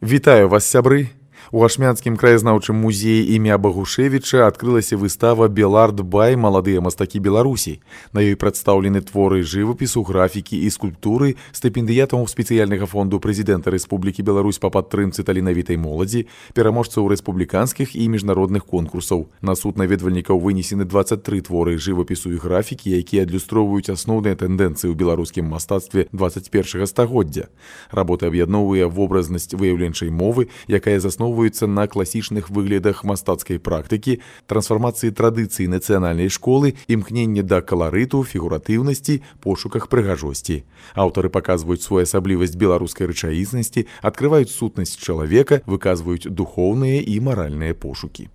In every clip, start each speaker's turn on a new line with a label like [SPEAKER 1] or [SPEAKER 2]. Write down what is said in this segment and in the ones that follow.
[SPEAKER 1] Вітаю вас, сябры! У Ашмянскім краязнаўчым музеі імя Багушевіча адкрылася выстава «Белард-бай. Маладыя мастакі Беларусі». На ёй прадстаўлены творы жывапісу, графікі і скульптуры стыпендыятаў спецыяльнага фонду прэзідэнта Рэспублікі Беларусь па падтрымцы таленавітай моладзі, пераможцаў рэспубліканскіх і міжнародных конкурсаў. На суд наведвальнікаў вынесены 23 творы жывапісу і графікі, якія адлюстроўваюць асноўныя тэндэнцыі ў беларускім мастацтве 21 стагоддзя. Работа аб'ядноўвае вобразнасць выяўленчай мовы, якая засноўваецца на класічных выглядах мастацкай практыкі, трансфармацыі традыцыі нацыянальнай школы, імкненне да каларыту, фігуратыўнасці, пошуках прыгажосці. Аўтары паказваюць своеасаблівасць беларускай рэчаіснасці, адкрываюць сутнасць чалавека, выказваюць духоўныя і маральныя пошукі.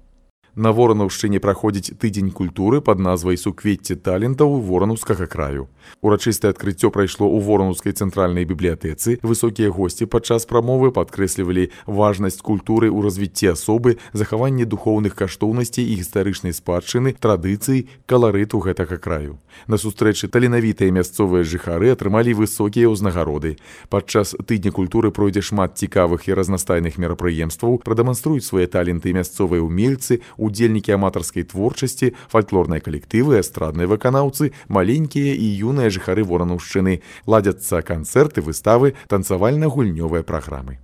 [SPEAKER 1] На Воранаўшчыне праходзіць тыдзень культуры пад назвай «Суквецце талентаў Воранаўскага краю». Урачыстае адкрыццё прайшло ў Воранаўскай цэнтральнай бібліятэцы. Высокія госці падчас прамовы падкрэслівалі важнасць культуры ў развіцці асобы, захаванне духоўных каштоўнасцей і гістарычнай спадчыны, традыцый, каларыту гэтага краю. На сустрэчы таленавітыя мясцовыя жыхары атрымалі высокія ўзнагароды. Падчас тыдня культуры пройдзе шмат цікавых і разнастайных мерапрыемстваў, прадэманструюць свае таленты мясцовыя ўмельцы, удзельнікі аматарскай творчасці, фальклорныя калектывы, эстрадныя выканаўцы, маленькія і юныя жыхары Воранаўшчыны. Ладзяцца канцэрты, выставы, танцавальна-гульнёвыя праграмы.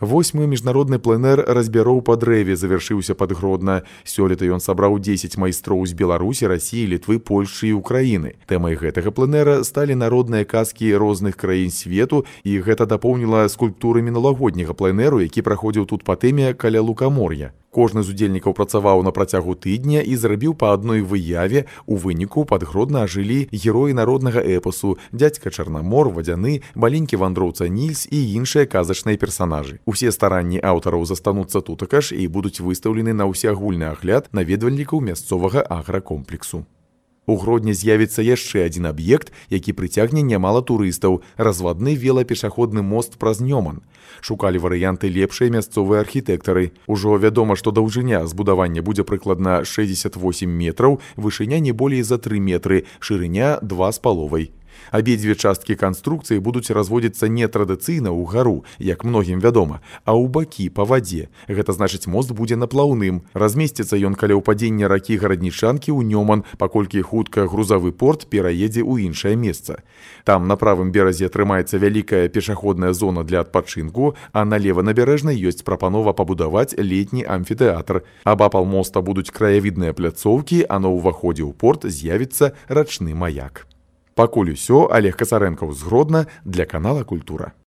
[SPEAKER 1] 8-й міжнародны пленэр разбяроў па дрэве завяршыўся пад Гродна. Сёлета ён сабраў 10 майстроў з Беларусі, Расіі, Літвы, Польшчы і Украіны. Тэмай гэтага пленэра сталі народныя казкі розных краін свету, і гэта дапоўніла скульптуры мінулагодняга пленэру, які праходзіў тут па тэме каля лукамор'я. Кожны з удзельнікаў працаваў на працягу тыдня і зрабіў па адной выяве. У выніку пад Гродна ажылі героі народнага эпасу, дзядзька Чарнамор, Вадзяны, маленькі вандроўца Нільс і іншыя казачныя персанажы. Усе старанні аўтараў застануцца тутака ж і будуць выстаўлены на ўсеагульны агляд наведвальнікаў мясцовага агракомплексу. У Гродні з'явіцца яшчэ адзін аб'ект, які прыцягне нямала турыстаў – развадны велапешаходны мост праз Нёман. Шукалі варыянты лепшыя мясцовыя архітэктары. Ужо вядома, што даўжыня збудавання будзе прыкладна 68 метраў, вышыня не болей за 3 метры, шырыня 2,5. Абедзве часткі канструкцыі будуць разводзіцца не традыцыйна ўгару, як многім вядома, а ў бакі па вадзе. Гэта значыць, мост будзе наплаўным. Размесціцца ён каля ўпадзення ракі Гараднічанкі ў Нёман, паколькі хутка грузавы порт пераедзе ў іншае месца. Там на правым беразе атрымаецца вялікая пешаходная зона для адпачынку, а на леванабярэжнай ёсць прапанова пабудаваць летні амфітэатр. Абапал моста будуць краявідныя пляцоўкі, а на ўваходзе ў порт з'явіцца рачны маяк. Пакуль усё, Олег Касарэнкаў з Гродна для канала «Культура».